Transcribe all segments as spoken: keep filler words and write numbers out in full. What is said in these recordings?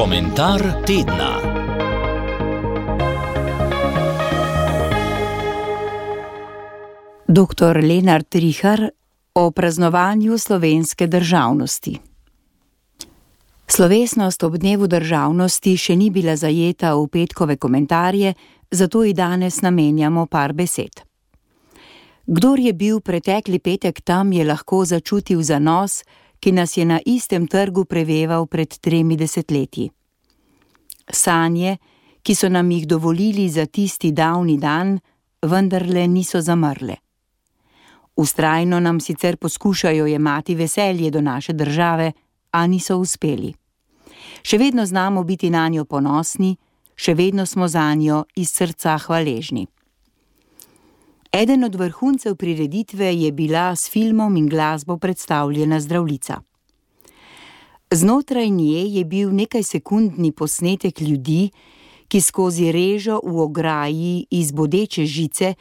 Komentar tedna. doktor Lenart Rihar o praznovanju slovenske državnosti. Slovesnost ob dnevu državnosti še ni bila zajeta v petkove komentarje, zato ji danes namenjamo par besed. Kdor je bil pretekli petek tam, je lahko začutil zanos, ki nas je na istem trgu preveval pred tremi desetletji. Sanje, ki so nam jih dovolili za tisti davni dan, vendarle niso zamrle. Vztrajno nam sicer poskušajo jemati veselje do naše države, a niso uspeli. Še vedno znamo biti nanjo ponosni, še vedno smo zanjo iz srca hvaležni. Eden od vrhuncev prireditve je bila s filmom in glasbo predstavljena Zdravljica. Znotraj nje je bil nekaj sekundni posnetek ljudi, ki skozi režo v ograji iz bodeče žice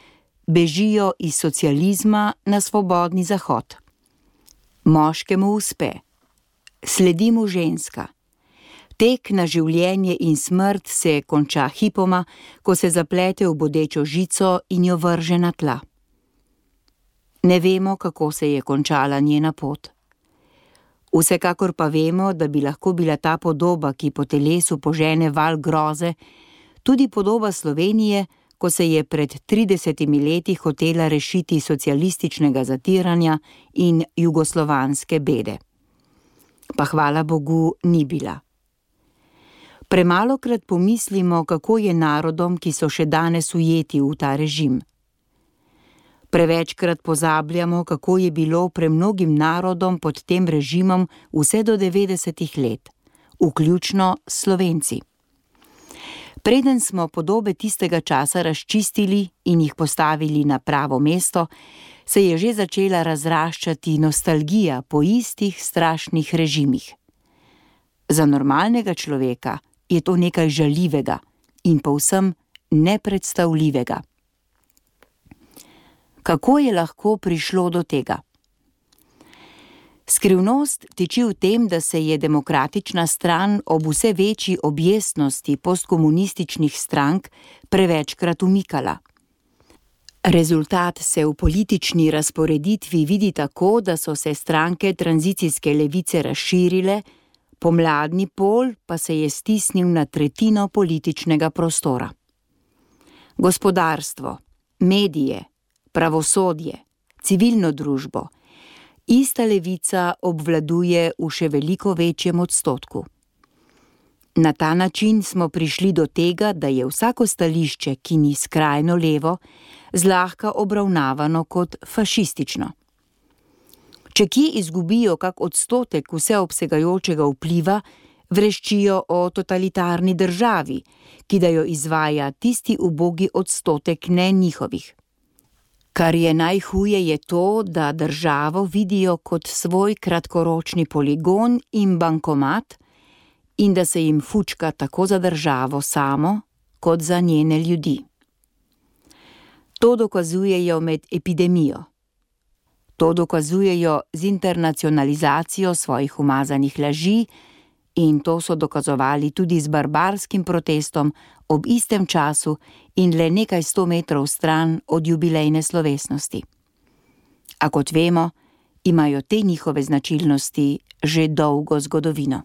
bežijo iz socializma na svobodni zahod. Moškemu uspe. Sledi mu ženska. Tek na življenje in smrt se konča hipoma, ko se zaplete v bodečo žico in jo vrže na tla. Ne vemo, kako se je končala njena pot. Vsekakor pa vemo, da bi lahko bila ta podoba, ki po telesu požene val groze, tudi podoba Slovenije, ko se je pred tridesetimi leti hotela rešiti socialističnega zatiranja in jugoslovanske bede. Pa hvala Bogu ni bila. Premalokrat pomislimo, kako je narodom, ki so še danes ujeti v ta režim. Prevečkrat pozabljamo, kako je bilo premnogim narodom pod tem režimom vse do devetdesetih let, vključno Slovenci. Preden smo podobe tistega časa razčistili in jih postavili na pravo mesto, se je že začela razraščati nostalgija po istih strašnih režimih. Za normalnega človeka je to nekaj žaljivega in povsem nepredstavljivega. Kako je lahko prišlo do tega? Skrivnost tiči v tem, da se je demokratična stran ob vse večji objestnosti postkomunističnih strank prevečkrat umikala. Rezultat se v politični razporeditvi vidi tako, da so se stranke tranzicijske levice razširile, pomladni pol pa se je stisnil na tretjino političnega prostora. Gospodarstvo, medije, pravosodje, civilno družbo, ista levica obvladuje v še veliko večjem odstotku. Na ta način smo prišli do tega, da je vsako stališče, ki ni skrajno levo, zlahka obravnavano kot fašistično. Če kje izgubijo kak odstotek vseobsegajočega vpliva, vreščijo o totalitarni državi, ki da jo izvaja tisti ubogi odstotek ne njihovih. Kar je najhuje je to, da državo vidijo kot svoj kratkoročni poligon in bankomat in da se jim fučka tako za državo samo, kot za njene ljudi. To dokazujejo med epidemijo. To dokazujejo z internacionalizacijo svojih umazanih laži in to so dokazovali tudi z barbarskim protestom ob istem času in le nekaj sto metrov stran od jubilejne slovesnosti. A kot vemo, imajo te njihove značilnosti že dolgo zgodovino.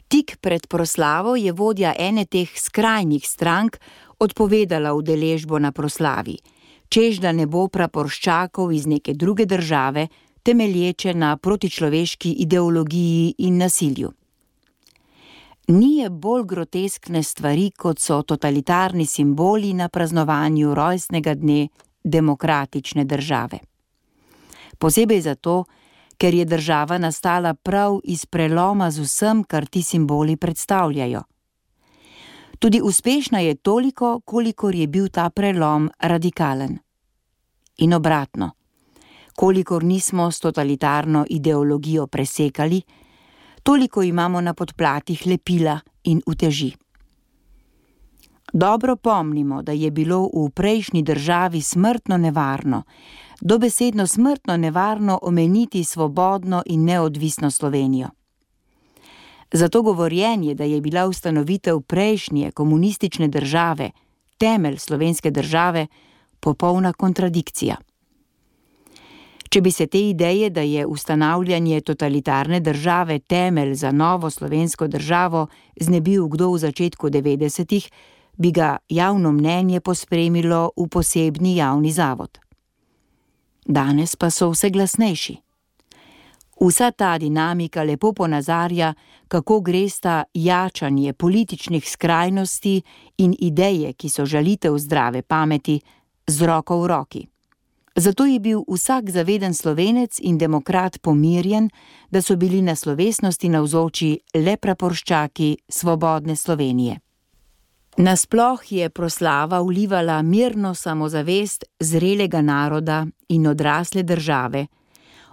Tik pred proslavo je vodja ene teh skrajnih strank odpovedala udeležbo na proslavi, čež da ne bo praporščakov iz neke druge države, temelječe na protičloveški ideologiji in nasilju. Ni je bolj groteskne stvari, kot so totalitarni simboli na praznovanju rojstnega dne demokratične države. Posebej zato, ker je država nastala prav iz preloma z vsem, kar ti simboli predstavljajo. Tudi uspešna je toliko, kolikor je bil ta prelom radikalen. In obratno, kolikor nismo s totalitarno ideologijo presekali, toliko imamo na podplatih lepila in uteži. Dobro pomnimo, da je bilo v prejšnji državi smrtno nevarno, dobesedno smrtno nevarno omeniti svobodno in neodvisno Slovenijo. Zato govorjenje, da je bila ustanovitev prejšnje komunistične države temelj slovenske države, popolna kontradikcija. Če bi se te ideje, da je ustanavljanje totalitarne države temelj za novo slovensko državo, znebil kdo v začetku devetdesetih, bi ga javno mnenje pospremilo v posebni javni zavod. Danes pa so vse glasnejši. Vsa ta dinamika lepo ponazarja, kako gresta jačanje političnih skrajnosti in ideje, ki so žalitev zdrave pameti, z roko v roki. Zato je bil vsak zaveden Slovenec in demokrat pomirjen, da so bili na slovesnosti navzoči le praporščaki svobodne Slovenije. Nasploh je proslava vlivala mirno samozavest zrelega naroda in odrasle države,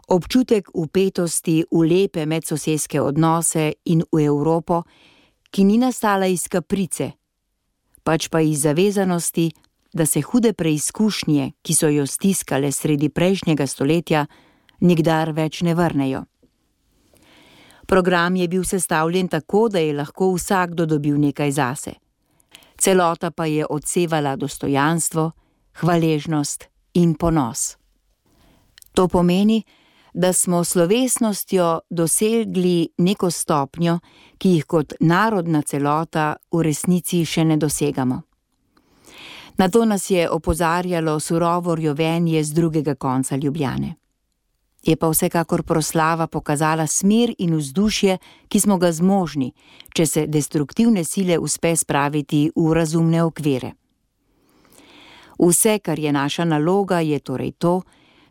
občutek vpetosti v lepe medsosedske odnose in v Evropo, ki ni nastala iz kaprice, pač pa iz zavezanosti, da se hude preizkušnje, ki so jo stiskale sredi prejšnjega stoletja, nikdar več ne vrnejo. Program je bil sestavljen tako, da je lahko vsakdo dobil nekaj zase. Celota pa je odsevala dostojanstvo, hvaležnost in ponos. To pomeni, da smo slovesnostjo dosegli neko stopnjo, ki jih kot narodna celota v resnici še ne dosegamo. Na to nas je opozarjalo surovo rjovenje z drugega konca Ljubljane. Je pa vsekakor proslava pokazala smer in vzdušje, ki smo ga zmožni, če se destruktivne sile uspe spraviti v razumne okvire. Vse, kar je naša naloga, je torej to,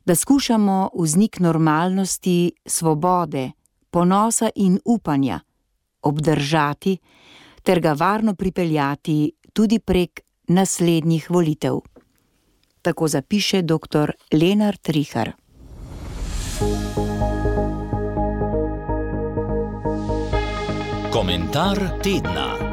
da skušamo vznik normalnosti, svobode, ponosa in upanja obdržati ter ga varno pripeljati tudi prek naslednjih volitev. Tako zapiše doktor Lenart Rihar. Komentar tedna.